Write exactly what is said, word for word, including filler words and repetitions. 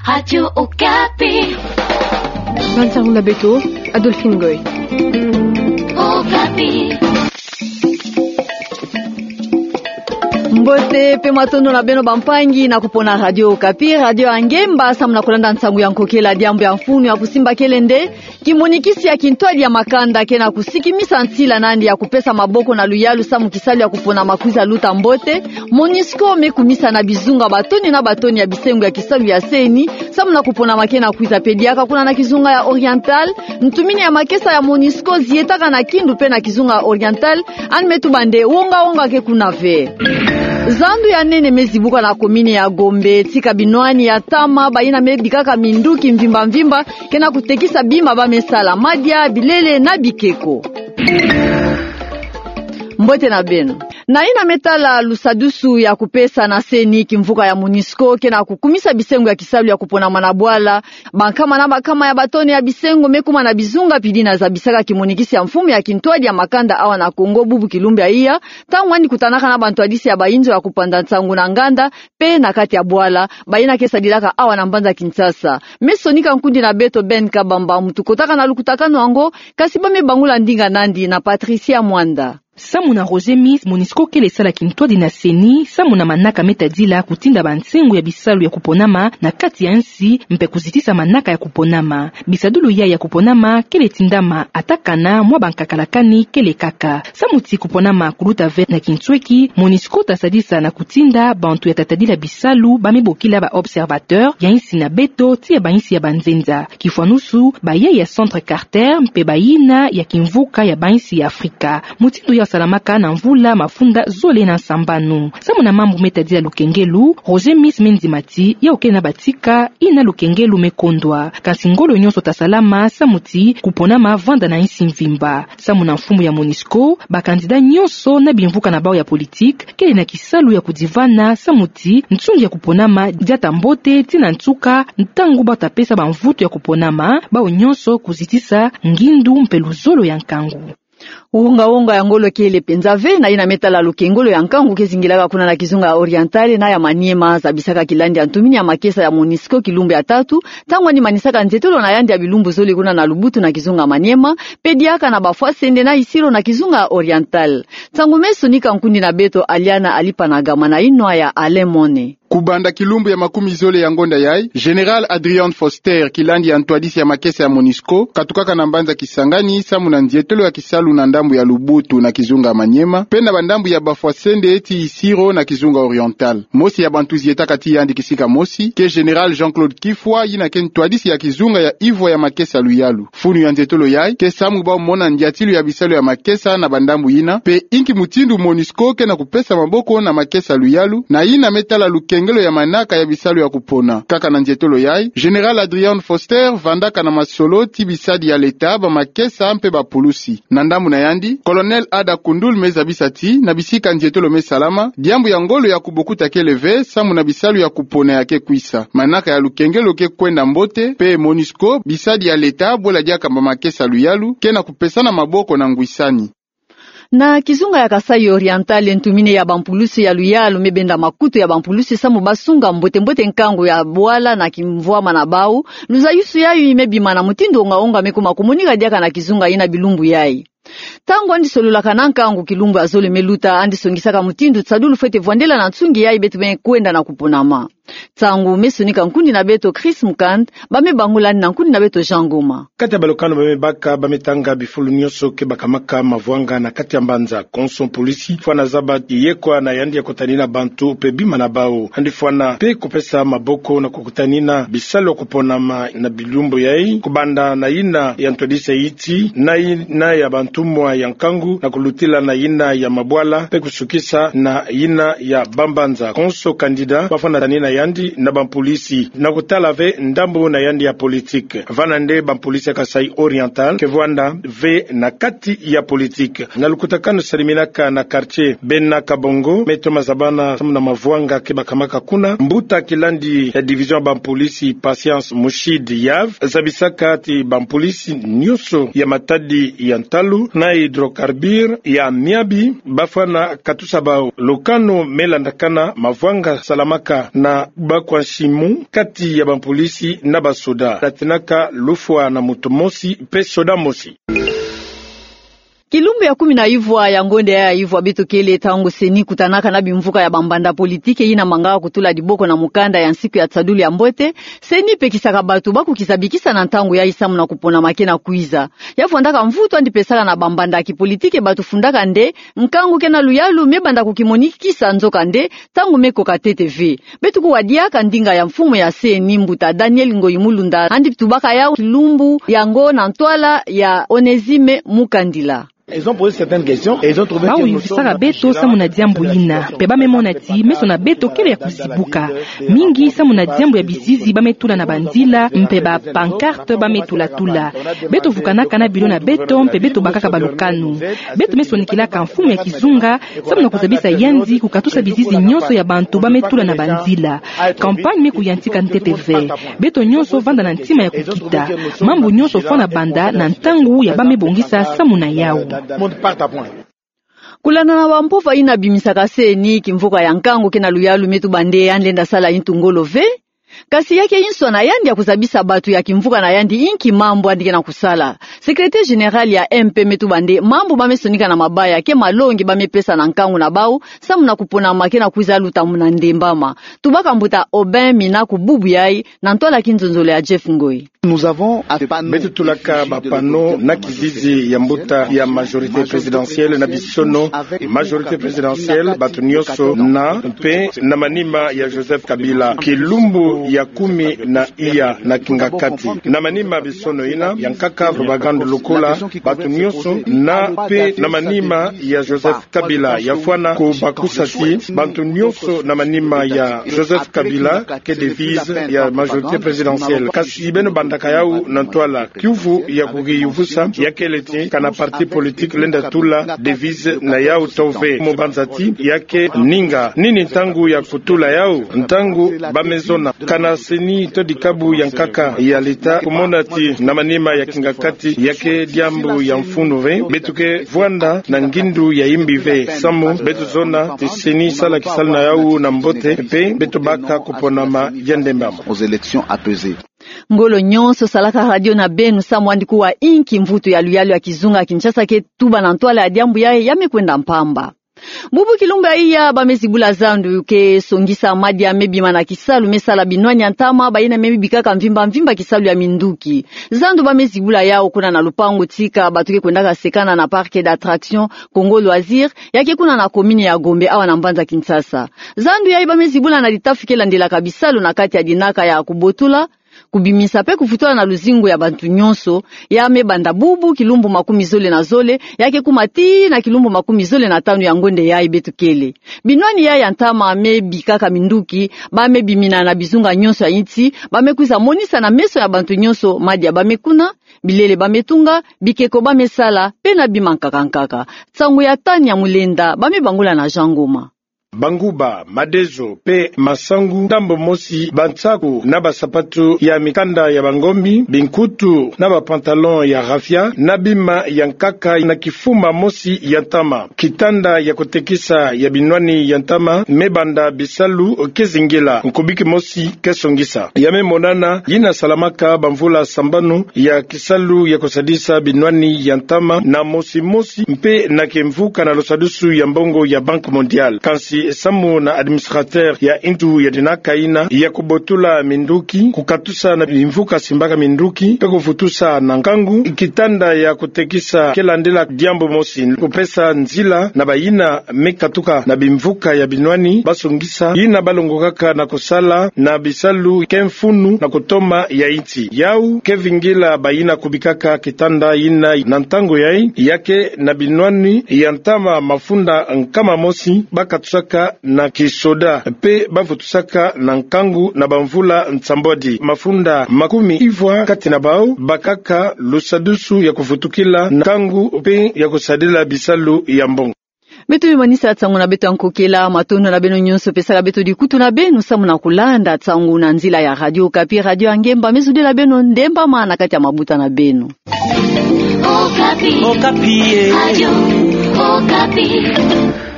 Radio Okapi. Bansango na beto, Adolphine Ngoy. Okapi. Mbote pe matondo na beno bampangi na kupona Radio Okapi, radio ya ngemba, samu na kulanda nsangu ya nkokela. Diambu ya mfunu ya kusimba kele nde: kimonikisi ya kintwadi ya makanda ke na kusikimisa nsila na yandi ya kupesa maboko na luyalu samu kisalu ya kupona ma kwiza luta mbote. MONUSCO me kumisa na bizunga batoni na batoni ya bisengo ya kisalu ya CENI samu na kupona ma ke na kwiza. Pe diaka kuna na kizunga ya Oriental, ntumini ya makesa ya MONUSCO zietaka na Kindu pe na kizunga ya Oriental, yandi me tuba nde wonga-wonga ke kuna ve. Zandu ya nene me zibuka na komini ya Gombe, tika binwani ya ntama, bayina me bikaka minduki mvimba-mvimba ke na kutekisa bima ba me sala, madia, bilele na bikeko. Mbote na beno. Na yina me tala lusadusu ya kupesa na CENI kimvuka ya MONUSCO ke na kukumisa bisengo ya kisalu ya kuponama na bwala, bankama na bankama ya batoni ya bisengo me kuma na bizunga pili na zabisaka kimonikisi ya mfumu ya kintwadi ya makanda awa na Kongo bubu kilumbu ya iya, ntangu yandi kutanaka na bantwadisi ya bayinzo ya kupanda nsangu na nganda pe na kati ya bwala, bayina ke sadilaka awa na mbanza Kinshasa. Me sonika nkundi na beto Ben Kabamba, muntu kotaka na lukutakanu yango, kasi ba me bangula ndinga na yandi na Patricia Mwanda. Samu na Roger Miss, MONUSCO kele sala kintwadi na CENI samu na manaka me tadila kutinda bansengo ya bisalu ya kuponama na kati ya nsi mpe kuzitisa manaka ya kuponama. Bisadulu ya ya kuponama kele tindama, ata kana mwa bankakalakani kele kaka. Samu ti kuponama kuluta ve na kinsweki, MONUSCO ta sadisa na kutinda bantu ya ta tadila bisalu ba me bokila ba observateurs ya insi na beto ti ya bainsi ya banzenza. Kifwanusu, bayaya ya Centre Carter mpe bayina ya kimvuka ya bainsi ya Afrika. Mutindu yau salamaka na mvula mafunda zole na nsambanu. Samu na mambu me tadila lukengelu, Roger Miss me ndima ti yau kele na batika yina lukengelu me kondwa. Kasi ngolo nyonso ta salama samu ti kuponama vanda na insi mvimba. Samu na mfumu ya MONUSCO, ba candidats nyonso na bimvuka na bau ya politique kele na kisalu ya kudivana samu ti nsungi ya kuponama diata mbote ti na nsuka, ntangu bau ta pesa bamvutu ya kuponama, bau nyonso kuzitisa ngindu mpe luzolo ya nkangu. Wonga-wonga ya ngolo kele penza ve na yina me tala lukengolo ya nkangu ke zingilaka kuna na kizunga ya Oriental na ya Maniema, zabisaka kilandi ya ntumini ya makesa ya MONUSCO kilumbu ya tatu, ntangu yandi manisaka nzietolo na yandi ya bilumbu zole kuna na Lubutu na kizunga ya Maniema, pe diaka na Bafwasende na Isiro na kizunga ya Oriental. Nsangu me sonika nkundi na beto Aliana Alipanagama na inwa ya Alain Mone. Kubanda kilumbu ya makumi zole ya ngonda yai, Général Adrian Foster, kilandi ya ntwadisi ya makesa ya MONUSCO, katukaka na mbanza Kisangani samu na nzietolo ya kisalu na ndambu ya Lubutu na kizunga ya Maniema, pe na bandambu ya Bafwasende ti Isiro na kizunga Oriental. Mosi ya bantu zietaka ti yandi kisika mosi ke Général Jean-Claude Kifwa, yina ke ntwadisi ya kizunga ya ivwa ya makesa luyalu. Funu ya nzietolo yai ke samu bau mona ndiatilu ya bisalu ya makesa na bandambu yina, pe inki mutindu MONUSCO ke na kupesa maboko na makesa luyalu na yina me tala lukengelo ya manaka ya bisalu ya kupona. Kaka na nzietolo yai, Général Adrian Foster vandaka na masolo ti bisadi ya leta, bamakesa mpe bapulusi. Na ndambu na yandi, Colonel Ada Koundoul me zabisa ti na bisika nzietolo me salama, diambu ya ngolo ya kubokuta kele ve samu na bisalu ya kupona ya ke kwisa. Manaka ya lukengelo ke kwenda mbote, pe MONUSCO, bisadi ya leta, bwela diaka bamakesa luyalu, ke na kupesana maboko na ngwisani. Na kizunga ya Kasaï Oriental, ntumini ya bampulusi ya luyalu me benda makutu ya bampulusi samu ba sunga mbote-mbote nkangu ya bwala na kimvwama na bau. Luzayusu yayu me bima na mutindu wonga-wonga me kuma kumonika diaka na kizunga yina bilumbu yai. Ntangu yandi sololaka na nkangu kilumbu ya zole me luta, yandi songisaka mutindu tisadulu fwete vwandela na nsungi yai beto me kwenda na kuponama. Nsangu me sonika nkundi na beto Chris Mukand, ba me bangula yandi na nkundi na beto Jean Ngoma. Kati ya balukanu ba me baka, ba me tanga bifulu nyonso ke bakamaka mavwanga na kati ya mbanza. Konso mpulusi fwana zaba ti yekwa na yandi ya kutanina bantu pe bima na bau. Yandi fwana pe kupesa maboko na kukutanina bisalu ya kuponama na bilumbu yai, kubanda na yina ya ntwadisi ya iti, na yina ya bantumwa ya nkangu, na kulutila na yina ya mabwala, pe kusukisa na yina ya bambanza. Konso candidat bafwana tanina yandi na bampulusi na kutala ve ndambu na yandi ya politique. Vana nde bampulusi ya Kasaï Oriental ke vwanda ve na kati ya politique. Na lukutakanu saliminaka na quartier Bena Kabongo, me toma zabana samu na mavwanga ke bakamaka kuna, mbuta kilandi ya division ya bampulusi Patience Mushidi Yav zabisaka ti bampulusi nyonso ya matadi ya ntalu na hydrocarbures ya miabi, bafwana katusa bau. Lukanu me landakana mavwanga salamaka na bakwa nsimu kati ya bapolisi na basoda. Tatinaka lufwa na moto mosi pe soda mosi. Kilumbu ya kumi na ivwa ya ngonde ya ivwa beto kele, ntangu CENI kutanaka na bimvuka ya bambanda politiki yina mangaka kutula diboko na mukanda ya nsiku ya nsadulu ya mbote, CENI pekisaka bato ba kukiza bikisa na ntangu yayi samu na kupona ma ke na kwiza. Ya vwandaka mvutu yandi pesaka na bambanda ya kipolitiki, bato fundaka nde nkangu ke na luyalu me banda kukimonikisa, nzokande ntangu me koka ntete ve. Beto kuwa diaka ndinga ya mfumu ya CENI, mbuta Daniel Ngoyi Mulunda, yandi tubaka yau kilumbu yango na ntwala ya Onésime Mukandila. Bau yumvisaka beto samu na diambu yina, mpe ba me mona ti meso na beto kele ya kuzibuka mingi samu na diambu ya bizizi ba me tula na banzila, mpe ba pancarte ba me tula-tula. Beto vukanaka na bilo na beto, mpe beto bakaka balukanu. Beto me sonikilaka mfumu ya kizunga samu na kuzabisa yandi kukatusa bizizi nyonso ya bantu ba me tula na banzila. Campagne me kuyantika ntete ve. Beto nyonso vanda na ntima ya kukita. Mambu nyonso fwana banda na ntangu ya ba me bongisa samu na yau. Kulanda na bampova yina bimisaka CENI, kimvuka ya nkangu ke na luyalu me tuba nde yandi lenda sala yintu ngolo ve. Kasi ya ke inswa na yandi ya kuzabisa bato ya kimvuka na yandi inki mambu yandi ke na kusala. Secrétaire général ya MP me tuba nde mambu ba me sonika na mabaya ke malongi ba me pesa na nkangu na bau samu na kupona ma ke na kwiza luta muna ndembama. Tubaka mbuta Aubin Mina ku bubu yayi na ntwala kinzonzolo ya Jeff Ngoyi. Beto tulaka ba panneaux na kizizi ya mbuta ya majorité présidentielle na bisono. Majorité présidentielle, bato nyonso na, mpe na manima ya Joseph Kabila. Kilumbu ya kumi na iya na kingakati. Na manima bisono yina, ya nkaka propagande lokola, bato nyonso na, mpe na manima ya Joseph Kabila. Ya fwana kubakusa ti bato nyonso na manima ya Joseph Kabila ke devise ya majorité présidentielle. Kasi beno bandaka yau na ntwala. Kiuvu ya kukiyuvusa ya kele ti kana parti politique lenda tula devise na yau to ve. Mu banza ti ya ke ninga nini ntangu ya kutula yau? Ntangu ba me zona. Kana CENI to dikabu ya nkaka ya leta kumona ti na manima ya kingakati ya ke diambu ya mfunu ve, beto ke vwanda na ngindu ya yimbi ve. Samu beto zona ti CENI sala kisalu na yau na mbote, mpe beto baka kuponama ya ndembama. Ngolo nyonso salaka radio na beno samu yandi kuwa inki mvutu ya luyalu ya kizunga ya Kinshasa ke tuba na ntwala ya diambu yayi ya me kwenda mpamba. Bubu kilumbu ya iya ba me zibula zandu ke songisa madia me bima na kisalu me sala binwani ya ntama, bayina me bikaka mvimba mvimba kisalu ya minduki. Zandu ba me zibula yau kuna na lupangu tika bato ke kwendaka sekana na parc d'attraction Congo Loisirs, ya ke kuna na commune ya Gombe awa na mbanza Kinshasa. Zandu yayi ba me zibula na ditafi ke landelaka bisalu na kati ya dinaka ya kubotula, kubimisa mpe kuvutula na luzingu ya bantu nyonso, ya me banda bubu kilumbu makumi zole na zole, ya ke kuma tii na kilumbu makumi zole na tanu ya ngonde yayi beto kele. Binwani yayi ya ntama me bikaka minduki, ba me bimina na bizunga nyonso ya insi, ba me kwiza monisa na meso ya bantu nyonso madia ba me kuna, bilele ba me tunga, bikeko ba me sala, mpe na bima nkaka nkaka. Nsangu ya Tania Mulenda, ba me bangula na Jean Ngoma. Banguba, madezo, mpe masangu, ndambo mosi, bansaku na basapatu ya mikanda ya bangombi, binkutu na ba pantalon ya raffia, na bima ya nkaka na kifuma mosi ya ntama. Kitanda ya kutekisa ya binwani ya ntama me banda bisalu ke zingila, nkubiki mosi ke songisa. Ya me monana yina salamaka bamvula sambanu ya kisalu ya kusadisa binwani ya ntama na mosi mosi mpe na kimvuka na lusadusu ya mbongo ya Banque Mondiale. Kansi samu na administrateur ya intu ya dinaka yina ya kubotula minduki, kukatusa na bimvuka simbaka minduki, mpe kuvutusa na nkangu, kitanda ya kutekisa ke landila diambu mosi, kupesa nzila na bayina me katuka na bimvuka ya binwani, ba songisa yina ba longokaka na kusala na bisalu ke mfunu na kutoma ya insi. Yau ke vingila bayina kubikaka kitanda yina na ntangu yayi, ya ke na binwani ya ntama mafunda nkama mosi ba katusaka na kisoda, mpe ba vutusaka na nkangu na bamvula nsambwadi. Mafunda makumi ivwa kati na bau bakaka lusadusu ya kuvutukila na nkangu mpe ya kusadila bisalu ya mbongo. Beto me manisa nsangu na beto ya nkokela, matondo na beno nyonso mpe sala beto dikutu na beno samu na kulanda nsangu na nzila ya Radio Okapi, radio ya ngemba me zudila beno ndembama na kati ya mabuta na beno. Okapi. Okapi, eh. Radio Okapi.